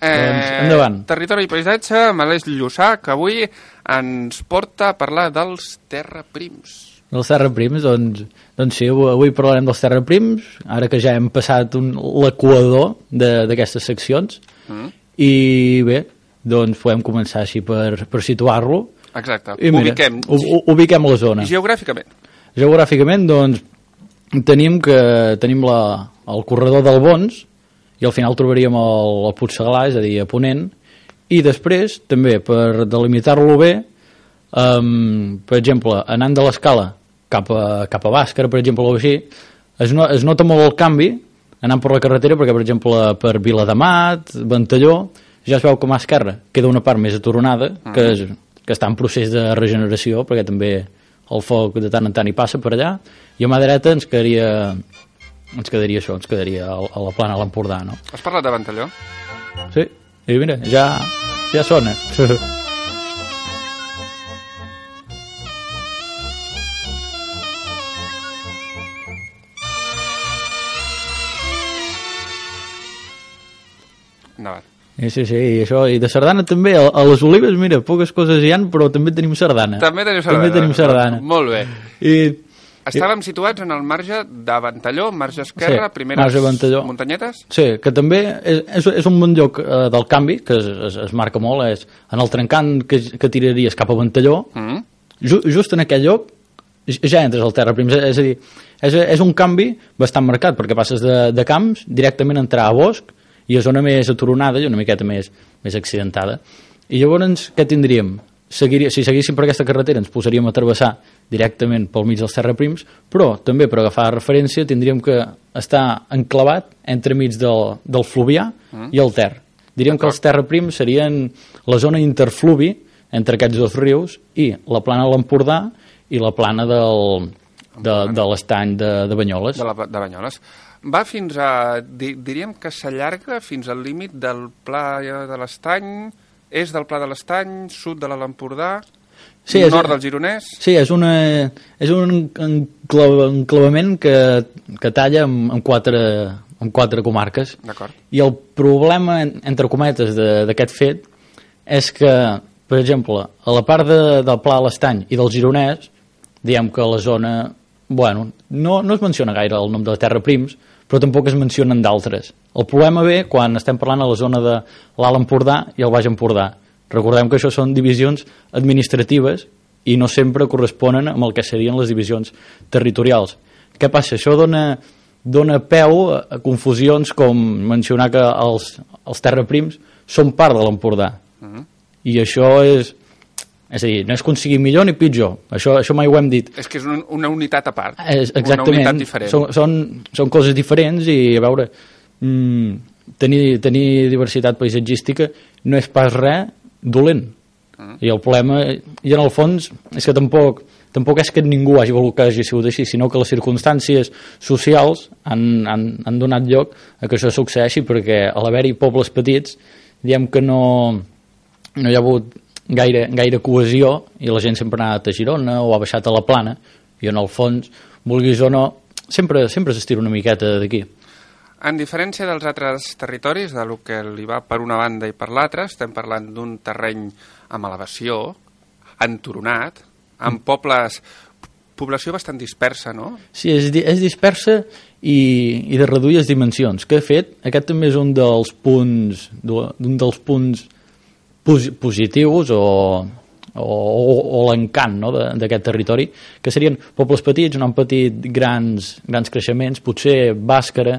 Doncs endavant. Territori i paisatge, amb Aleix Llussà, que avui ens porta a parlar dels terraprims. Els terraprims, doncs sí, avui parlarem dels terraprims, ara que ja hem passat l'equador d'aquestes seccions, i bé, doncs podem començar així per situar-lo. Exacte, I mira, ubiquem la zona. I geogràficament? Geogràficament, doncs, tenim el corredor del Bons, i al final trobaríem el Puigseglà, és a dir, a Ponent, i després, també, per delimitar-lo bé, per exemple, anant de l'Escala cap a Bàscara, per exemple, o així, es nota molt el canvi anant per la carretera, perquè, per exemple, per Viladamat, Ventalló, ja es veu que a mà esquerra queda una part més aturonada, que està en procés de regeneració, perquè també el foc de tant en tant hi passa per allà, i a mà dreta ens quedaria a la plana de l'Empordà, no? Has parlat de Ventalló? Sí, i mira, ja sona. Endavant. Sí, i això, i de sardana també, a les Olives, mira, poques coses hi han, però també tenim sardana. També tenim sardana. Molt bé. Estàvem situats en el marge de Ventalló, marge esquerra, primeres muntanyetes? Sí, que també és un bon lloc del canvi, que es marca molt, és en el trencant que tiraries cap a Ventalló, just en aquell lloc ja entres al terraprims, és a dir, és un canvi bastant marcat, perquè passes de camps directament a entrar a bosc, i a zona més aturonada i una miqueta més accidentada. I llavors, què tindríem? Si seguíssim per aquesta carretera ens posaríem a travessar directament pel mig dels terraprims, però també per agafar referència tindríem que estar enclavat entremig del Fluvià i el Ter. Diríem que els terraprims serien la zona interfluvi entre aquests dos rius i la plana de l'Empordà i la plana de l'estany de Banyoles. De Banyoles. Va fins a... diríem que s'allarga fins al límit del Pla de l'Estany, est del Pla de l'Estany, sud de l'Empordà, nord del Gironès... Sí, és un enclavament que talla en quatre comarques. D'acord. I el problema, entre cometes, d'aquest fet és que, per exemple, a la part del Pla de l'Estany i del Gironès, diem que la zona... Bueno, no es menciona gaire el nom de terraprims, però tampoc es mencionen d'altres. El problema ve quan estem parlant a la zona de l'Alt Empordà i el Baix Empordà. Recordem que això són divisions administratives i no sempre corresponen amb el que serien les divisions territorials. Què passa? Això dona peu a confusions com mencionar que els terraprims són part de l'Empordà. I això és a dir, no és que sigui millor ni pitjor, això mai ho hem dit. És que és una unitat a part, exactament, una unitat diferent. Són coses diferents i, a veure, tenir diversitat paisatgística no és pas res dolent. I el problema, i en el fons, és que tampoc és que ningú hagi volgut que hagi sigut així, sinó que les circumstàncies socials han donat lloc a que això succeeixi, perquè a l'haver-hi pobles petits, diem que no hi ha hagut gaire cohesió i la gent sempre ha anat a Girona o ha baixat a la Plana i en el fons, vulguis o no, sempre s'estira una miqueta d'aquí. En diferència dels altres territoris, de lo que li va per una banda i per l'altra, estem parlant d'un terreny amb elevació, enturonat, amb població bastant dispersa, no? Sí, és dispersa i de reduïdes dimensions, que de fet aquest també és un dels punts positius o l'encant, no, d'aquest territori, que serien pobles petits, no han patit grans creixements. Potser Bàscara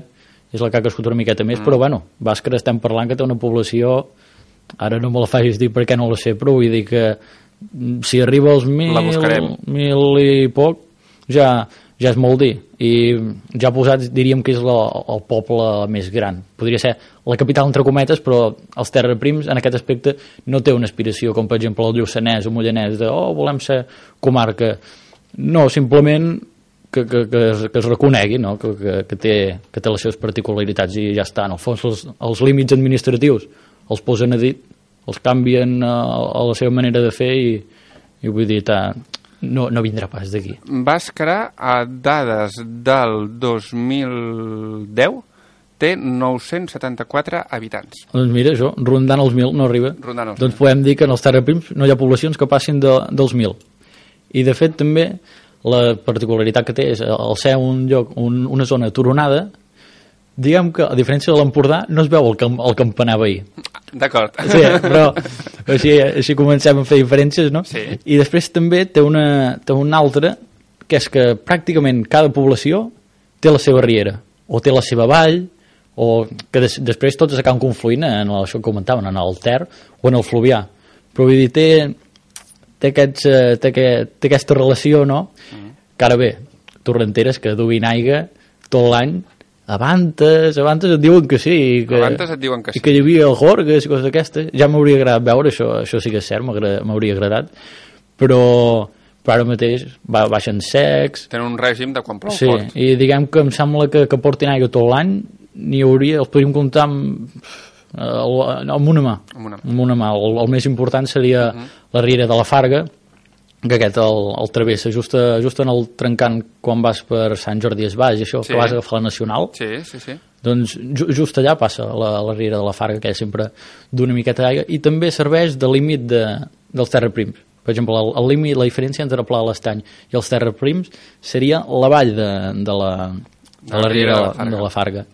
és la que ha crescut una miqueta més, però bueno, Bàscara estem parlant que té una població, ara no me la facis dir perquè no la sé, però vull dir que si arriba als 1.000 i poc ja és molt dir, i ja posats diríem que és el poble més gran. Podria ser la capital entre cometes, però els terraprims en aquest aspecte no té una aspiració com per exemple el Lluçanès o Mollanès de volem ser comarca. No, simplement que es reconegui, no? que té les seves particularitats i ja està. En el fons els límits administratius els posen a dit, els canvien a la seva manera de fer i vull dir, no vindrà pas d'aquí. Bàscara, a dades del 2010, té 974 habitants. Doncs mira, això, rondant els 1.000 no arriba. Rondant els Doncs podem dir que en els terraprims no hi ha poblacions que passin dels 1.000. I de fet també la particularitat que té és al ser un lloc, una zona turonada, diguem que a diferència de l'Empordà no es veu el campanar veí. D'acord. Sí, però així comencem a fer diferències, no? Sí. I després també té una altra, que és que pràcticament cada població té la seva riera, o té la seva vall, o que després tots acaben confluint en això que comentaven, en el Ter o en el Fluvià. Però vull dir, té aquesta relació, no? Que ara bé, torrenteres que duguin aigua tot l'any, Abantes et diuen que sí, Abantes et diuen que sí. I que hi havia gorgues i coses d'aquestes. Ja m'hauria agradat veure això sí que és cert, m'hauria agradat, però ara mateix baixen secs. Tenen un règim de quan plou sí, fort. I diguem que em sembla que portin aigua tot l'any, els podríem comptar amb una mà. Amb una mà. El més important seria la riera de la Farga, que aquest el travessa just en el trencant quan vas per Sant Jordi Desvalls, això, sí. Que vas agafar la Nacional. Sí. Doncs just allà passa la riera de la Farga, que és sempre d'una miqueta d'aigua, i també serveix de límit dels terraprims. Per exemple, el límit, la diferència entre el Pla de l'Estany i els terraprims seria la vall de la riera de la Farga.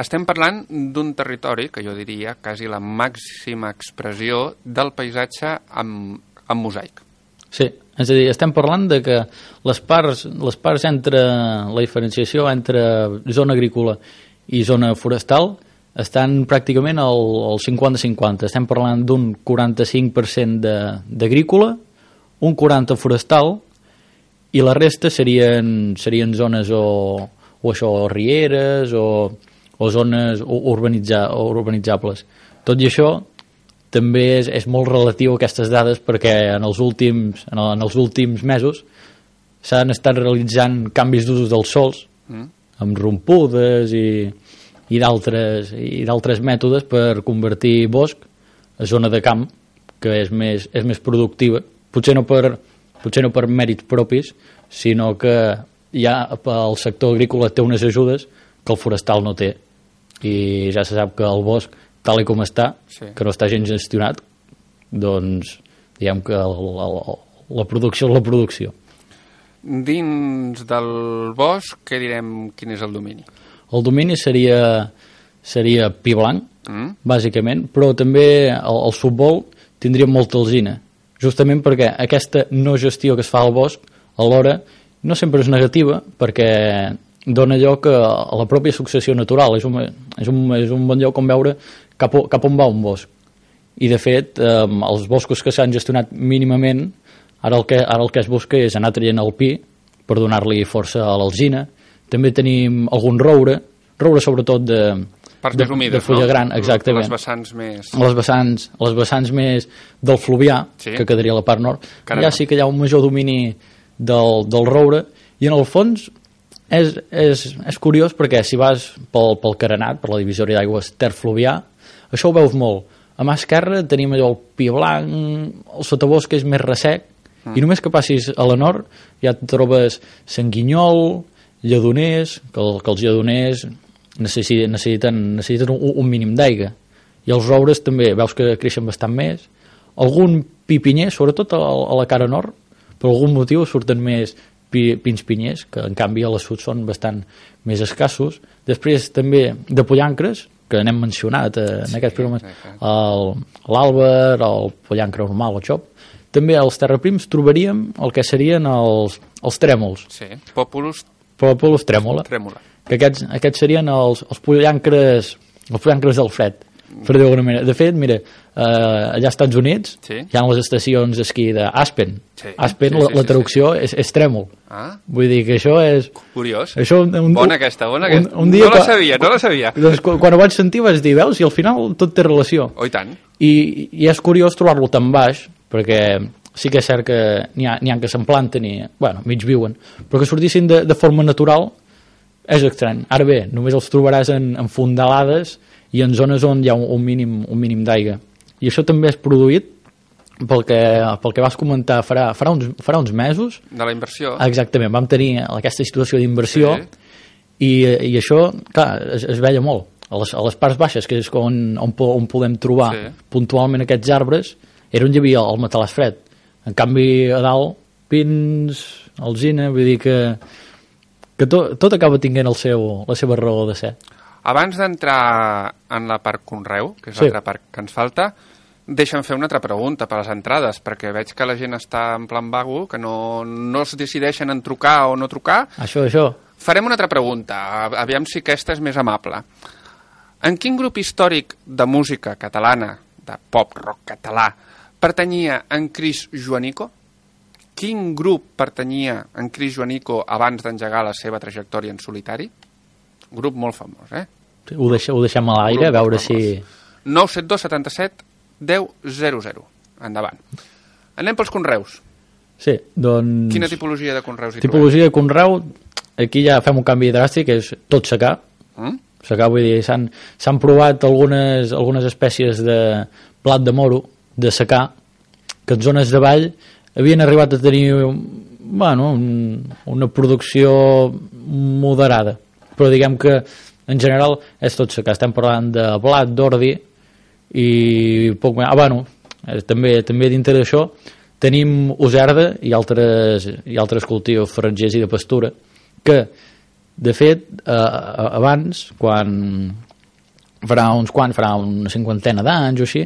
Estem parlant d'un territori que jo diria quasi la màxima expressió del paisatge amb mosaic. Sí, és a dir, estem parlant de que les parts entre la diferenciació entre zona agrícola i zona forestal estan pràcticament al 50-50. Estem parlant d'un 45% d'agrícola, un 40% forestal, i la resta serien zones o això, rieres o zones urbanitzables. Tot i això, també és molt relatiu a aquestes dades perquè en els últims mesos s'han estat realitzant canvis d'usos dels sols amb rompudes i d'altres mètodes per convertir bosc a zona de camp que és més productiva, potser no per mèrits propis, sinó que ja el sector agrícola té unes ajudes que el forestal no té, i ja se sap que el bosc tal com està, sí. Que no està gens gestionat, doncs diguem que la producció és la producció. Dins del bosc, què direm, quin és el domini? El domini seria pi blanc, bàsicament, però també el futbol tindria molta alzina, justament perquè aquesta no gestió que es fa al bosc, alhora, no sempre és negativa, perquè dona lloc a la pròpia successió natural. És un bon lloc on veure cap on va un bosc. I de fet, els boscos que s'han gestionat mínimament, ara el que es busca és anar traient el pi per donar-li força a l'alzina. També tenim algun roure sobretot parts més humides, de fulla gran, exactament. Les vessants més del Fluvià, sí. Que quedaria a la part nord. Allà sí que hi ha un major domini del roure, i en el fons és curiós perquè si vas pel carenat, per la divisòria d'aigües Ter-Fluvià, això ho veus molt. A mà esquerra tenim allò el pi blanc, el sotabosc és més ressec, i només que passis a la nord ja et trobes sanguinyol, lledoners, que els lledoners necessiten un mínim d'aigua, i els roures també veus que creixen bastant més, algun pipinyer, sobretot a la cara nord, per algun motiu surten més pins pinyers, que en canvi a la sud són bastant més escassos. Després també de pollancres, que n'hem mencionat en aquests programes, l'àlber, el pollancre normal, el xop. També als terraprims trobaríem el que serien els trèmols. Sí, Populus trèmola. Que aquests serien els pollancres del fred, per dir d'alguna manera. De fet, mira, allà als Estats Units hi ha les estacions d'esquí d'Aspen. Aspen, la traducció és trèmol. Vull dir que això és... Curiós. Bona aquesta. Un dia no la sabia. Doncs quan ho vaig sentir vaig dir, veus, i al final tot té relació. Oh, i tant. I és curiós trobar-lo tan baix, perquè sí que és cert que n'hi ha que se'n planten i, mig viuen, però que sortissin de forma natural és estrany. Ara bé, només els trobaràs en fondalades i en zones on hi ha un mínim d'aigua. I això també és produït pel que vas comentar farà uns mesos. De la inversió. Exactament, vam tenir aquesta situació d'inversió, i això, clar, es veia molt. A les parts baixes, que és on podem trobar puntualment aquests arbres, era on hi havia el matalàs fred. En canvi, a dalt, pins, alzina, vull dir que tot acaba tenint la seva raó de ser. Abans d'entrar en la part conreu, que és l'altra part que ens falta, deixa'm fer una altra pregunta per les entrades, perquè veig que la gent està en plan vago, que no es decideixen en trucar o no trucar. Això. Farem una altra pregunta, aviam si aquesta és més amable. En quin grup històric de música catalana, de pop-rock català, pertanyia en Cris Joanico? Quin grup pertanyia en Cris Joanico abans d'engegar la seva trajectòria en solitari? Un grup molt famós, eh? Ho deixem a l'aire, a veure si... 972 77 10 00. Endavant. Anem pels conreus. Sí, doncs... Quina tipologia de conreus hi tipologia de conreu, aquí ja fem un canvi dràstic, que és tot secà. Secà, vull dir, s'han provat algunes espècies de blat de moro, de secà, que en zones de vall havien arribat a tenir una producció moderada. Però diguem que en general és tot secà. Estem parlant de blat, d'ordi i poc més. També dintre d'això tenim userda i altres cultius forratgers i de pastura que, de fet, abans, quan farà una cinquantena d'anys o així,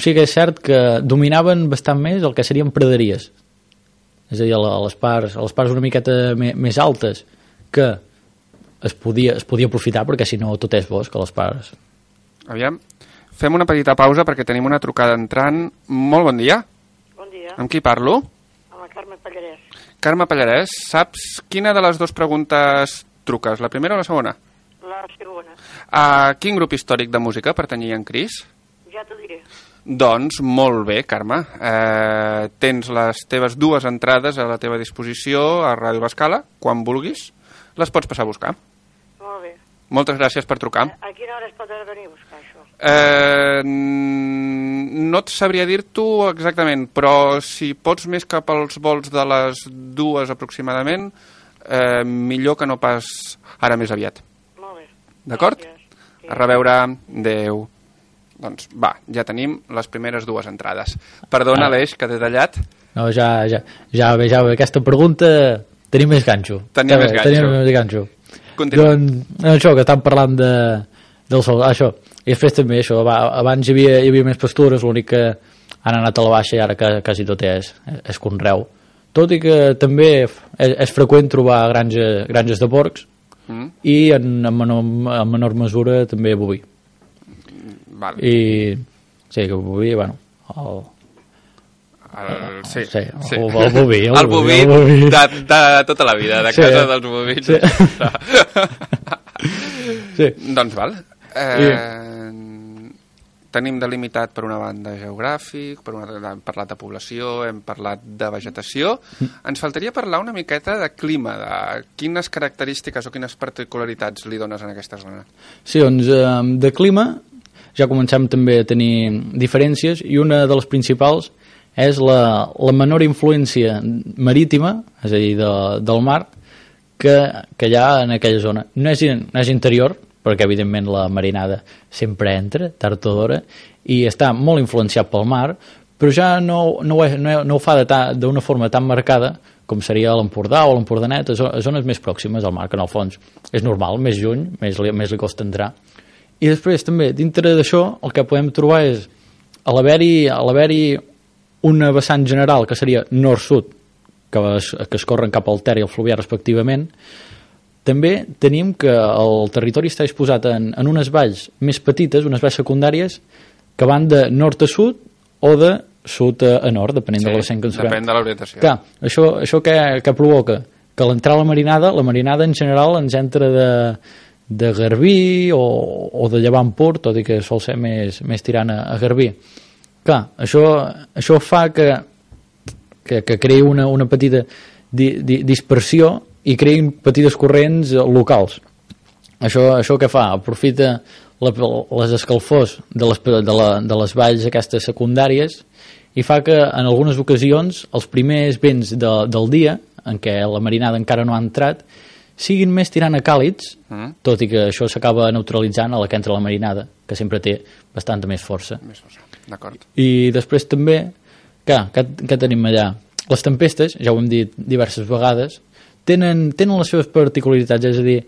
sí que és cert que dominaven bastant més el que serien praderies. És a dir, a les parts una miqueta més altes, que es podia aprofitar, perquè si no tot és bosc a les parts. Aviam, fem una petita pausa perquè tenim una trucada entrant. Molt bon dia. Bon dia. Amb qui parlo? Amb la Carme Pallarès. Carme Pallarès, saps quina de les dues preguntes truques, la primera o la segona? La segona. A quin grup històric de música pertanyia en Cris? Ja t'ho diré. Doncs molt bé, Carme. Tens les teves dues entrades a la teva disposició a Ràdio L'Escala, quan vulguis. Les pots passar a buscar. Molt bé. Moltes gràcies per trucar. A quina hora es pot venir a buscar això? No et sabria dir-t'ho exactament, però si pots més cap als vols de les 2 aproximadament, millor que no pas ara més aviat. Molt bé. D'acord? Sí. A reveure. Adéu. Doncs va, ja tenim les primeres 2 entrades. Perdona, Aleix, que t'he tallat. No, ja ve aquesta pregunta. Tenim més ganxo. Tenim més ganxo. Continua. Doncs això, que estan parlant del sol. Això. I després també això, abans hi havia més pastures, l'únic que han anat a la baixa i ara quasi tot és conreu. Tot i que també és freqüent trobar granges de porcs i en menor mesura també boví. Vale. I sí, que boví, Sí. El boví. El boví de tota la vida, de casa dels bovins. Sí. Doncs val. Tenim delimitat per una banda geogràfic, per una altra hem parlat de població, hem parlat de vegetació. Ens faltaria parlar una miqueta de clima, de quines característiques o quines particularitats li dones en aquesta zona. Sí, doncs de clima ja comencem també a tenir diferències i una de les principals és la menor influència marítima, és a dir, del mar, que hi ha en aquella zona. No és interior, perquè evidentment la marinada sempre entra, tard o d'hora, i està molt influenciat pel mar, però ja no ho fa d'una forma tan marcada com seria l'Empordà o l'Empordanet, a zones més pròximes al mar, que en el fons és normal, més lluny, més li costa entrar. I després també, dintre d'això, el que podem trobar és, a l'haver-hi una vessant general que seria nord-sud, que es corren cap al Ter i al Fluvià respectivament, també tenim que el territori està disposat en unes valls més petites, unes valls secundàries, que van de nord a sud o de sud a nord, depenent de la vessant que ens trobem. Depèn de l'orientació. Clar, això què provoca? Que l'entrar a la marinada en general ens entra de Garbí o de Llevant pur, tot i que sol ser més tirant a Garbí. Clar, això fa que creï una petita dispersió i creïn petites corrents locals. Això què fa? Aprofita les escalfors de les valls aquestes secundàries i fa que en algunes ocasions els primers vents del dia, en què la marinada encara no ha entrat, siguin més tirant a càlids, tot i que això s'acaba neutralitzant a la que entra la marinada, que sempre té bastanta més força. D'acord. I després també, què tenim allà? Les tempestes, ja ho hem dit diverses vegades, tenen les seves particularitats, és a dir,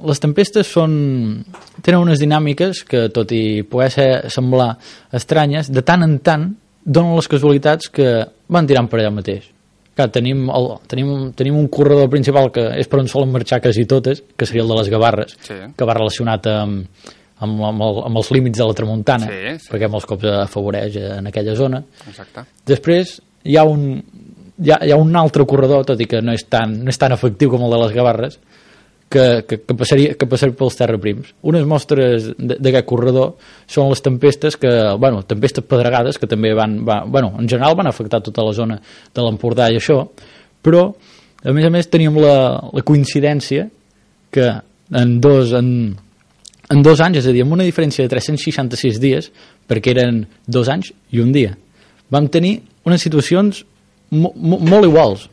les tempestes tenen unes dinàmiques que, tot i poder semblar estranyes, de tant en tant donen les casualitats que van tirant per allà mateix. Clar, tenim un corredor principal que és per on solen marxar quasi totes, que seria el de les Gavarres, que va relacionat amb els límits de la tramuntana, perquè molts cops afavoreix en aquella zona. Exacte. Després hi ha un altre corredor, tot i que no és tan efectiu com el de les Gavarres, que passaria pels terraprims. Unes mostres d'aquest corredor són les tempestes tempestes pedregades, que també en general van afectar tota la zona de l'Empordà i això, però a més teníem la coincidència que en dos anys, és a dir, amb una diferència de 366 dies, perquè eren 2 anys i un dia, vam tenir unes situacions molt iguals,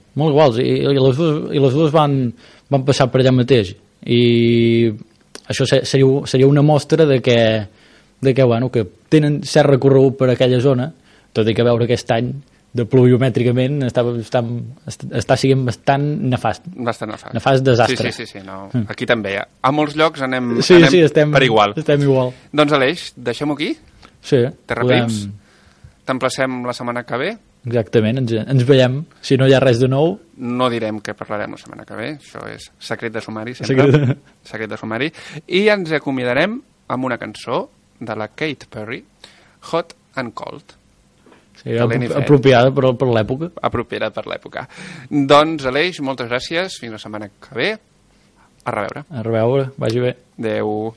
i les dues van passar per allà mateix, i això seria una mostra de que tenen cert recorregut per aquella zona, tot i que veure aquest any de pluviomètricament està sent bastant nefast. Bastant nefast. Nefast desastre. Sí, no. Aquí també. A molts llocs anem estem per igual. Estem igual. Doncs Aleix, deixem-ho aquí? Sí. Terraprims. T'emplacem la setmana que ve. Exactament, ens veiem. Si no hi ha res de nou... No direm què parlarem la setmana que ve, això és secret de sumari, sempre. Secret de sumari. I ens acomiadarem amb una cançó de la Katy Perry, Hot and Cold. Sí, apropiada per l'època. Apropiada per l'època. Doncs, Aleix, moltes gràcies. Fins la setmana que ve. A reveure. A reveure. Vagi bé. Adéu.